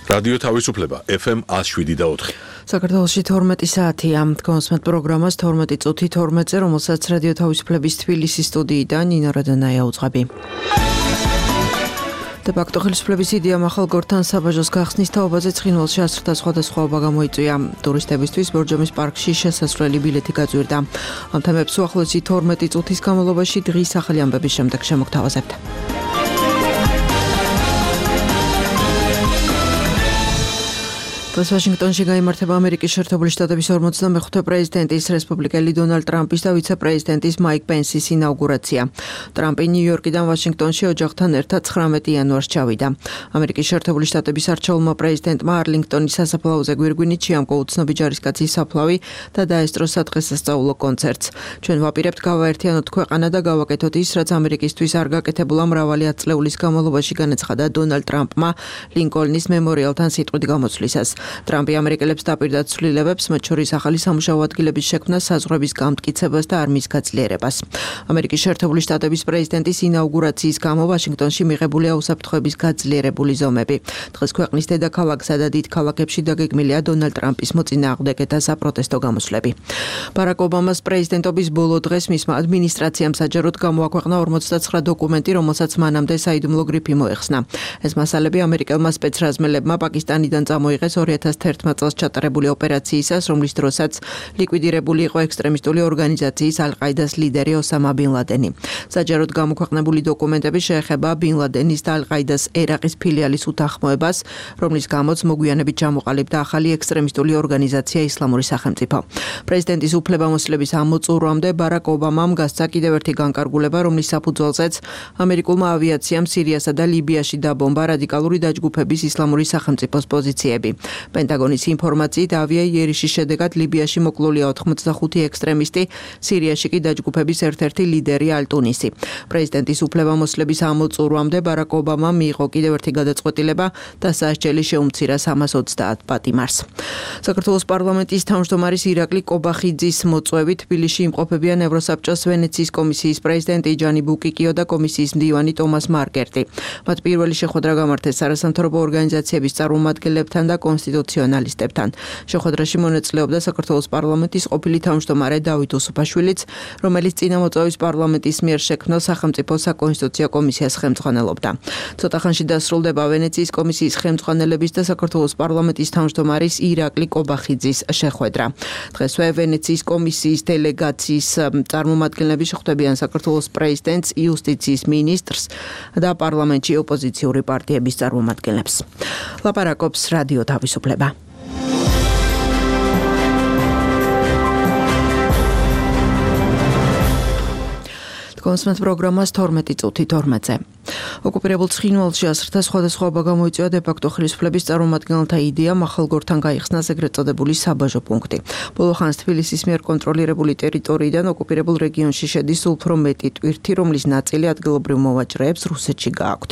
რადიო თავისუფლება FM 107.4. საქართველოში 12 საათია. კონსმეთ პროგრამას 12 წუთი 12-ზე, რომელსაც რადიო თავისუფლების თბილისის სტუდიიდან ნინო რადანაია უძღვები. დე-ფაქტო ხელისუფლების იდეამ ახალ გორთან საბაჟოს გახსნის თაობაზე ცხინვალში ასრთა სხვადასხვაობა გამოიწვია. ტურისტებისთვის ბორჯომის პარკში შესასვლელი ბილეთი გაძვირდა. ამ თემებს უახლოესი 12 წუთის განმავლობაში დღის ახალი ამბების შემდეგ შემოგთავაზებთ. ვაშინგტონში გაიმართება ამერიკის შეერთებული შტატების 45 პრეზიდენტის, რესპუბლიკელი დონალდ ტრამპის და ვიცე-პრეზიდენტის მაიკ პენსის ინაუგურაცია. ტრამპი ნიუ-იორკიდან ვაშინგტონში ოჯახთან ერთად 19 იანვარს ჩავიდა. ამერიკის შეერთებული შტატების არჩეულმა პრეზიდენტმა არლინგტონის სასაფლაოზე გვირგვინით შეამკო უცნობი ჯარისკაცის საფლავი და დაესწრო სადღესასწაულო კონცერტს. ჩვენ ვაპირებთ გავაერთიანოთ ქვეყანა და გავაკეთოთ ის, რაც ამერიკისთვის არ გაკეთებულა მრავალი ათწლეულის განმავლობაში, განაცხადა დონალდ ტრამპმა ლინკოლნის მემორიალთან სიტყვით გამოცვლისას. ტრამპი ამერიკელებს დაპირდა ცვლილებებს, მათ შორის ახალი სამუშაო ადგილების შექმნას, საზღვრების გამტკიცებას და არმიის გაძლიერებას. ამერიკის შეერთებული შტატების პრეზიდენტის ინაუგურაციის გამო ვაშინგტონში მიღებულია უსაფრთხოების გაძლიერებული ზომები. დღეს ქვეყნის დედაქალაქსა და დიდ ქალაქებში დაგეგმილია დონალდ ტრამპის მოწინააღმდეგე და საპროტესტო გამოსვლები. ბარაკ ობამას პრეზიდენტობის ბოლო დღეს მისმა ადმინისტრაციამ საჯაროდ გამოაქვეყნა 49 დოკუმენტი, რომელსაც მანამდე საიდუმლო გრიფი მოეხსნა. ეს მასალები ამერიკელმა სპეცრაზმელებმა პაკისტანიდან წამოიღეს 2011 წელს ჩატარებული ოპერაციისას, რომლის დროსაც ლიკვიდირებული იყო ექსტრემისტული ორგანიზაციის ალ-ყაიდას ლიდერი ოსამა ბინ ლადენი. საჯაროდ გამოქვეყნებული დოკუმენტები შეეხება ბინ ლადენის და ალ-ყაიდას ერაყის ფილიალის უთანხმოებას, რომლის გამოც მოგვიანებით ჩამოყალიბდა ახალი ექსტრემისტული ორგანიზაცია ისლამური სახელმწიფო. პრეზიდენტის უფლებამოსილების ამ მოწურვამდე ბარაკ ობამამ გასცა კიდევ ერთი განკარგულება, რომლის საფუძველზეც ამერიკულმა ავიაციამ სირიასა და ლიბიაში დაბომბა რადიკალური დაჯგუფების ისლამური სახელმწიფოს პოზიციები. პენტაგონის ინფორმაციით ავიაიერიშის შედეგად ლიბიაში მოკლულია 85 ექსტრემისტი, სირიაში კი დაჯგუფების ერთ-ერთი ლიდერი ალ-ტუნისი. პრეზიდენტის უფლებამოსილების ამ მოწურვამდე ბარაკ ობამამ მიიღო კიდევ ერთი გადაწყვეტილება და სასჯელი შეუმცირა 330 პატიმარს. საქართველოს პარლამენტის თავმჯდომარის ირაკლი კობახიძის მოწვევით თბილისში იმყოფებიან ევროსაბჭოს ვენეციის კომისიის პრეზიდენტი ჯანი ბუკიკიო და კომისიის მდივანი ტომას მარკერტი. მათ პირველი შეხვედრა გამართეს არასამთავრობო ორგანიზაციების წარმომადგენლებთან და კონსტიტუციონალისტებთან. შეხვედრაში მონაწილეობდა საქართველოს პარლამენტის ყოფილი თავმჯდომარე დავით უსუფაშვილიც, რომელიც წინამოწვევის პარლამენტის მიერ შექმნილ სახელმწიფო საკონსტიტუციო კომისიას ხელმძღვანელობდა. ცოტა ხანში დასრულდება ვენეციის კომისიის ხელმძღვანელების და საქართველოს პარლამენტის თავმჯდომარის ირაკლი კობახიძის შეხვედრა. დღესვე ვენეციის კომისიის დელეგაციის წარმომადგენლები შეხვდებიან საქართველოს პრეზიდენტს, იუსტიციის მინისტრს და პარლამენტში ოპოზიციური პარტიების წარმომადგენლებს. ლაპარაკობს რადიო თავისუფლება. კონსმეთ პროგრამას 12 წუთი 12-ზე. ოკუპირებულ ცხინვალში ასრთა სხვადასხვაობა გამოიწვია დე-ფაქტო ხელისუფლების წარმომადგენელთა იდეამ ახალ გორთან გაიხსნას ეგრეთ წოდებული საბაჟო პუნქტი. ბოლო ხანს თბილისის მიერ კონტროლირებული ტერიტორიიდან ოკუპირებულ რეგიონში შედის უფრო მეტი ტვირთი, რომლის ნაწილი ადგილობრივ მოვაჭრეებს რუსეთში გააქვთ.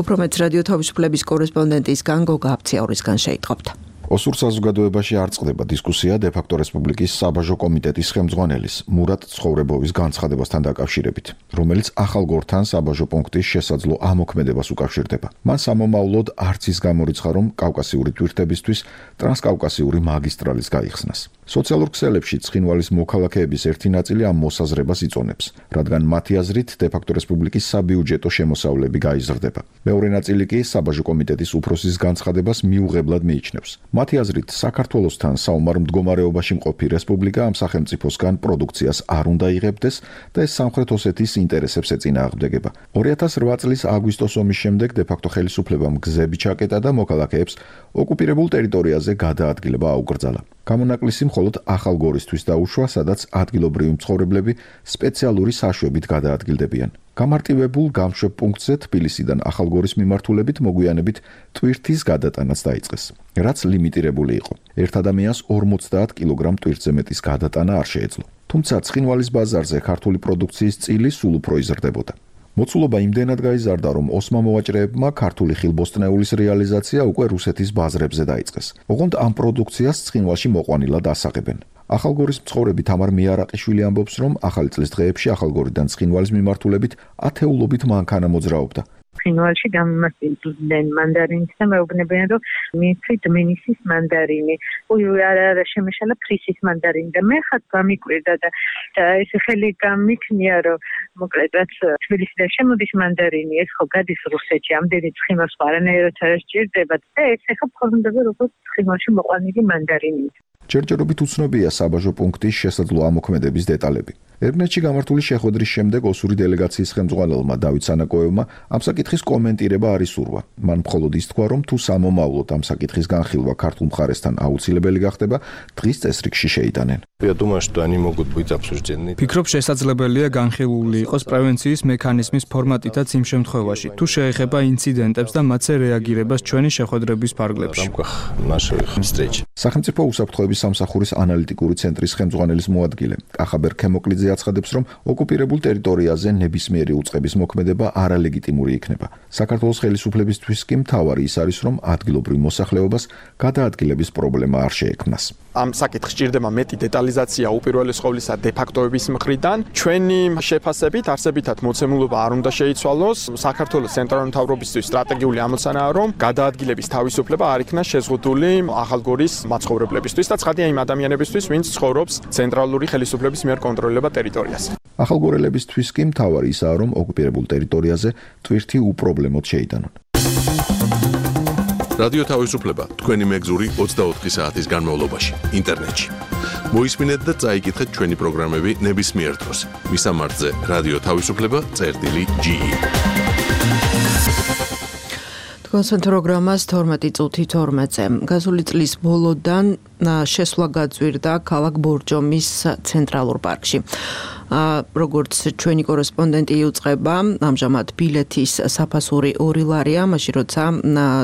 უფრო მეტს რადიო თავისუფლების კორესპონდენტისგან გოგა აფციაურისგან შეიტყობთ. ოსურ საზოგადოებაში არ წყდება დისკუსია დე-ფაქტო რესპუბლიკის საბაჟო კომიტეტის ხელმძღვანელის მურატ ცხოვრებოვის განცხადებასთან დაკავშირებით, რომელიც ახალ გორთან საბაჟო პუნქტის შესაძლო ამოქმედებას უკავშირდება. მან სამომავლოდ არც ის გამორიცხა, რომ კავკასიური ტვირთებისთვის ტრანსკავკასიური მაგისტრალის გაიხსნას. სოციალურ ქსელებში ცხინვალის მოქალაქეების ერთი ნაწილი ამ მოსაზრებას იწონებს, რადგან მათი აზრით დე-ფაქტო რესპუბლიკის საბიუჯეტო შემოსავლები გაიზრდება. მეორე ნაწილი კი საბაჟო კომიტეტის უფროსის განცხადებას მიუღებლად მიიჩნევს. მათი აზრით, საქართველოსთან საომარ მდგომარეობაში მყოფი რესპუბლიკა ამ სახელმწიფოსგან პროდუქციას არ უნდა იღებდეს და ეს სამხრეთ ოსეთის ინტერესებს ეწინააღმდეგება. 2008 წლის აგვისტოს ომის შემდეგ დე-ფაქტო ხელისუფლებამ გზები ჩაკეტა და მოქალაქეებს ოკუპირებულ ტერიტორიაზე გადაადგილება აუკრძალა. გამონაკლისი მხოლოდ ახალ გორისთვის დაუშვა, სადაც ადგილობრივი მცხოვრებლები სპეციალური საშვებით გადაადგილდებიან. გამარტივებულ გამშვებ პუნქტზე თბილისიდან ახალგორის მიმართულებით მოგვიანებით ტვირთის გადატანაც დაიწყეს, რაც ლიმიტირებული იყო. ერთ ადამიანს 50 კილოგრამ ტვირთზე მეტის გადატანა არ შეეძლო. თუმცა ცხინვალის ბაზარზე ქართული პროდუქციის წილი სულ უფრო იზრდებოდა. მოცულობა იმდენად გაიზარდა, რომ ოსმა მოვაჭრეებმა ქართული ხილბოსტნეულის რეალიზაცია უკვე რუსეთის ბაზრებზე დაიწყეს. ოღონდ ამ პროდუქციას ცხინვალში მოყვანილად ასაღებენ. ახალგორის მცხოვრები თამარ მიარაყიშვილი ამბობს, რომ ახალი წლის დღეებში ახალგორიდან ცხინვალის მიმართულებით ათეულობით მანქანა მოძრაობდა. ცხინვალში გამომასწინებდნენ მანდარინს და მეუბნებიან რომ მიცით მინისის მანდარინი. არა შემეშალა ფრისის მანდარინი და მე ხათ გამიკვირდა და ეს ხელი გამიქნია რომ მოკლედ რაც თბილისიდან შემოდის მანდარინი ეს ხო გადის რუსეთში ამდენი ცხინვალს არანაირად არ სჭირდება და ეს ახლა ფორმდება როგორც ცხინვალში მოყვანილი მანდარინი. ჯერჯერობით უცნობია საბაჟო პუნქტის შესაძლო ამოქმედების დეტალები. ერმნეთში გამართული შეხვედრის შემდეგ ოსური დელეგაციის ხელმძღვანელმა დავით სანაკოევმა ამ საკითხის კომენტირება არ ისურვა. მან მხოლოდ ის თქვა, რომ თუ სამომავლოდ ამ საკითხის განხილვა ქართულ მხარესთან აუცილებელი გახდება, დღის წესრიგში შეიტანენ. ფიქრობ შესაძლებელია განხილული იყოს პრევენციის მექანიზმის ფორმატითაც იმ შემთხვევაში, თუ შეეხება ინციდენტებს და მათზე რეაგირებას ჩვენი შეხვედრების ფარგლებში. სახელმწიფო უსაფრთხოების სამსახურის ანალიტიკური ცენტრის ხელმძღვანელის მოადგილე კახაბერ ქემოკლიძე აცხადებს, რომ ოკუპირებულ ტერიტორიაზე ნებისმიერი უწყების მოქმედება არალეგიტიმური იქნება. საქართველოს ხელისუფლებისთვის კი მთავარი ის არის, რომ ადგილობრივ მოსახლეობას გადაადგილების პრობლემა არ შეექმნას. ამ საკითხს სჭირდება მეტი დეტალიზაცია უპირველეს ყოვლისა დე-ფაქტოების მხრიდან. ჩვენი შეფასებით არსებითად მოცემულობა არ უნდა შეიცვალოს. საქართველოს ცენტრალური მთავრობისთვის სტრატეგიული ამოცანაა, რომ გადაადგილების თავისუფლება არ იქნას შეზღუდული ახალგორის მაცხოვრებლებისთვის და ცხადია იმ ადამიანებისთვის, ვინც ცხოვრობს ცენტრალური ხელისუფლების მიერ კონტროლირებულ ტერიტორიაზე. ახალგორელებისთვის კი მთავარი ისაა, რომ ოკუპირებულ ტერიტორიაზე ტვირთი უპრობლემოდ შეიტანონ. რადიო თავისუფლება თქვენი მეგზური 24 საათის განმავლობაში ინტერნეტში. მოისმინეთ და წაიკითხეთ ჩვენი პროგრამები ნებისმიერ დროს. მისამართზე რადიო თავისუფლება.ge. თქვენს პროგრამას 12 წუთი 12-ზე. გასული წლის ბოლოდან შესვლა გაძვირდა ქალაქ ბორჯომის ცენტრალურ პარკში. როგორც ჩვენი კორესპონდენტი იუწყება, ამჟამად ბილეთის საფასური 2 ლარია, მაშინ როცა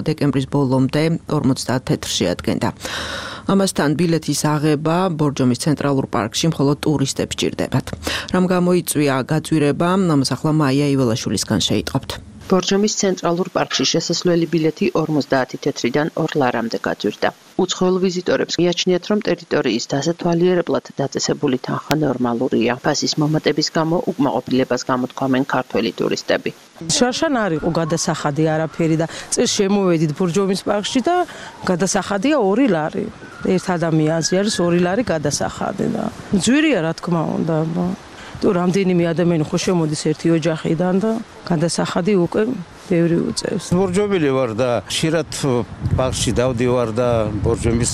დეკემბრის ბოლომდე 50 თეთრში ადგენდა. ამასთან ბილეთის აღება ბორჯომის ცენტრალურ პარკში მხოლოდ ტურისტებს სჭირდებათ. რამ გამოიწვია გაძვირება, ამას ახლა მაია იველაშვილისგან შეიტყობთ. ბორჯომის ცენტრალურ პარკში შესასვლელი ბილეთი 50 თეთრიდან 2 ლარამდე გაძვირდა. უცხოელ ვიზიტორებს მიაჩნიათ, რომ ტერიტორიის დასათვალიერებლად დაწესებული თანხა ნორმალურია. ფასის მომატების გამო უკმაყოფილებას გამოთქვამენ ქართველი ტურისტები. შარშან არ იყო გადასახადი არაფერი და წეს შემოვედით ბორჯომის პარკში და გადასახადია 2 ლარი. ერთ ადამიანზე არის 2 ლარი გადასახადი და ძვირია რა თქმა უნდა. თუ რამდენიმე ადამიანი ხო შემოდის ერთი ოჯახიდან და გადასახადი უკვე ბევრი უწევს. ბორჯომელი ვარ და ხშირად პარკში დავდივარ და ბორჯომის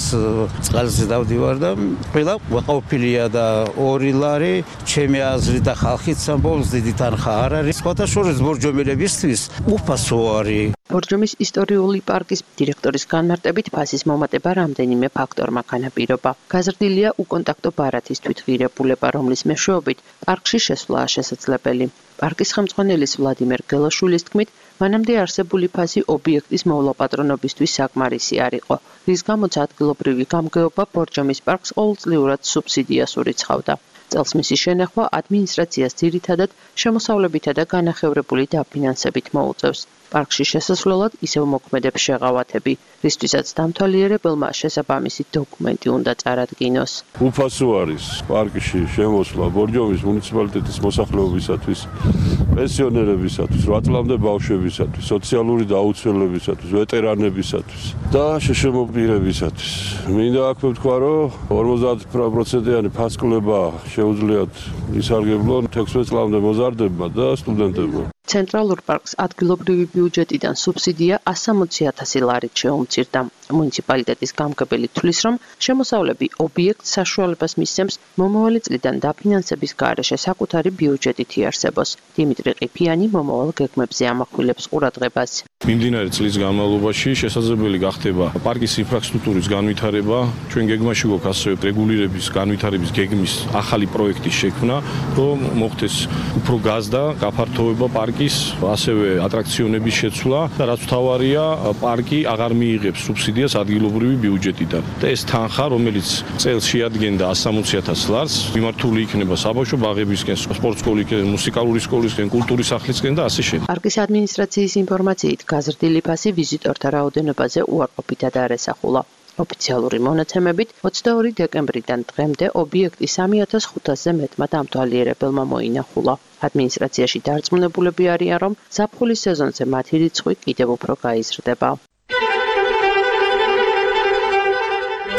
წყალზე დავდივარ და ყველა ყოფილია და 2 ლარი ჩემი აზრით და ხალხის ამბობს დიდი თანხა არ არის. სხვათა შორის ბორჯომელებისთვის უფასო არის. ბორჯომის ისტორიული პარკის დირექტორის განმარტებით ფასის მომატება რამდენიმე ფაქტორმა განაპირობა. გაზრდილია უკონტაქტო ბარათის თვითღირებულება, რომლის მეშვეობით პარკში შესვლაა შესაძლებელი. პარკის ხელმძღვანელის ვლადიმერ გელაშვილის თქმით, მანამდე არსებული ფასი ობიექტის მოვლაპატრონობისთვის საკმარისი არ იყო, რის გამოც ადგილობრივი გამგეობა ბორჯომის პარკს ყოველწლიურად სუბსიდიას ურიცხავდა. წელს მისი შენახვა ადმინისტრაციას ძირითადად შემოსავლებითა და განახევრებული დაფინანსებით მოუწევს. პარკში შესასვლელად ისევ მოქმედებს შეღავათები, რისთვისაც დამთვალიერებელმა შესაბამისი დოკუმენტი უნდა წარადგინოს. უფასო არის პარკში შემოსვლა ბორჯომის მუნიციპალიტეტის მოსახლეობისათვის, პენსიონერებისათვის, 8 წლამდე ბავშვებისათვის, სოციალური დაუცველებისათვის, ვეტერანებისათვის და შეშემოპირებისათვის. მინდა აქვე ვთქვა, რომ 50%-იანი ფასკლება შეუძლიათ ისარგებლონ 16 წლამდე მოზარდებმა და სტუდენტებმა. ცენტრალურ პარკს ადგილობრივი ბიუჯეტიდან სუბსიდია 160,000 ლარით შეუმცირდა. მუნიციპალიტეტის გამგებელი თვლის, რომ შემოსავლები ობიექტს საშუალებას მისცემს მომავალი წლიდან დაფინანსების გარეშე საკუთარი ბიუჯეტით იარსებოს. დიმიტრი ყიფიანი მომავალ გეგმებზე ამახვილებს ყურადღებას. მიმდინარე წლის განმავლობაში შესაძლებელი გახდება პარკის ინფრასტრუქტურის განვითარება, ჩვენ გეგმაში გვაქვს ასევე რეგულირების განვითარების გეგმის ახალი პროექტის შექმნა, რომ მოხდეს უფრო გაზდა გაფართოება პარკის, ასევე ატრაქციონების შეცვლა და რაც მთავარია, პარკი აღარ მიიღებს სუბსიდიას ადგილობრივი ბიუჯეტიდან. და ეს თანხა, რომელიც წელს შეადგენდა 160,000 ლარს, მიმართული იქნება საბავშვო ბაღებისკენ, სპორტ სკოლისკენ, მუსიკალური სკოლისკენ, კულტურის სახლისკენ და ასე შემდეგ. პარკის ადმინისტრაციის ინფორმაციით, გაზრდილი ფასი ვიზიტორთა რაოდენობაზე უარყოფითად არ ესახულა. ოფიციალური მონაცემებით 22 დეკემბრიდან დღემდე ობიექტი 3500-ზე მეტმა დამთვალიერებელმა მოინახულა. ადმინისტრაციაში დარწმუნებულები არიან, რომ ზაფხულის სეზონზე მათი რიცხვი კიდევ უფრო გაიზრდება.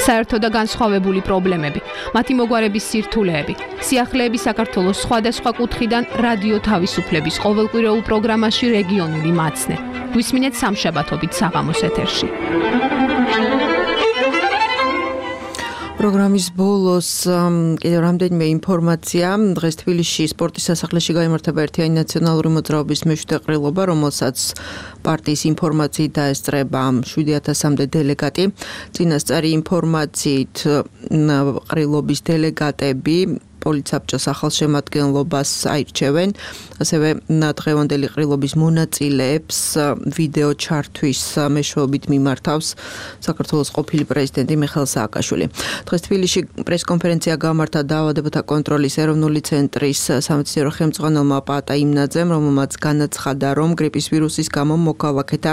საერთო და განსხვავებული პრობლემები, მათი მოგვარების სირთულეები, სიახლეები საქართველოს სხვადასხვა კუთხიდან რადიო თავისუფლების ყოველკვირეულ პროგრამაში რეგიონული მაცნე. გვისმინეთ სამშაბათობით საღამოს ეთერში. პროგრამის ბოლოს კიდევ რამდენიმე ინფორმაცია. დღეს თბილისში სპორტის სასახლეში გაიმართება ერთიანი ნაციონალური მოძრაობის მეშვიდე ყრილობა, რომელსაც პარტიის ინფორმაციით დაესწრება 7000-მდე დელეგატი. წინასწარი ინფორმაციით ყრილობის დელეგატები პოლიცაბჭოს ახალ შემადგენლობას აირჩევენ. ასევე დღევანდელი ყრილობის მონაწილეებს ვიდეო ჩართვის მეშვეობით მიმართავს საქართველოს ყოფილი პრეზიდენტი მიხეილ სააკაშვილი. დღეს თბილისში პრესკონფერენცია გამართა დაავადებათა კონტროლის ეროვნული ცენტრის სამეცნიერო ხელმძღვანელმა პაატა იმნაძემ, რომელმაც განაცხადა, რომ გრიპის ვირუსის გამო მოქალაქეთა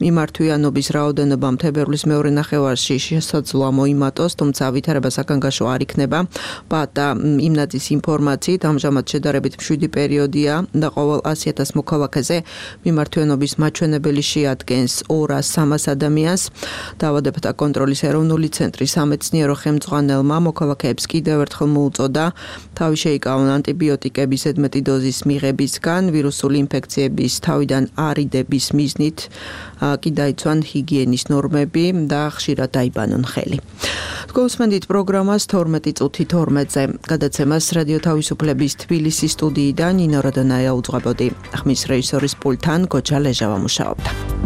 მიმართვიანობის რაოდენობა თებერვლის მეორე ნახევარში შესაძლოა მოიმატოს, თუმცა ვითარება საგანგაშო არ იქნება. პაატა იმნაძის ინფორმაციით ამჟამად შედარებით მშვიდი პერიოდია და ყოველ 100,000 მოქალაქეზე მიმართვიანობის მაჩვენებელი შეადგენს 200-300 ადამიანს. დაავადებათა კონტროლის ეროვნული ცენტრის სამეცნიერო ხელმძღვანელმა მოქალაქეებს კიდევ ერთხელ მოუწოდა თავი შეიკავონ ანტიბიოტიკების ზედმეტი დოზის მიღებისგან, ვირუსული ინფექციების თავიდან არიდების მიზნით კი დაიცვან ჰიგიენის ნორმები და ხშირად დაიბანონ ხელი. გულისხმობთ პროგრამას 12 წუთი 12-ზე. გადაცემას რადიო თავისუფლების თბილისის სტუდიიდან ნინო როდონაია უძღვებოდი. ხმის რეჟისორის პულტთან გოჯა ლეჟავა მუშაობდა.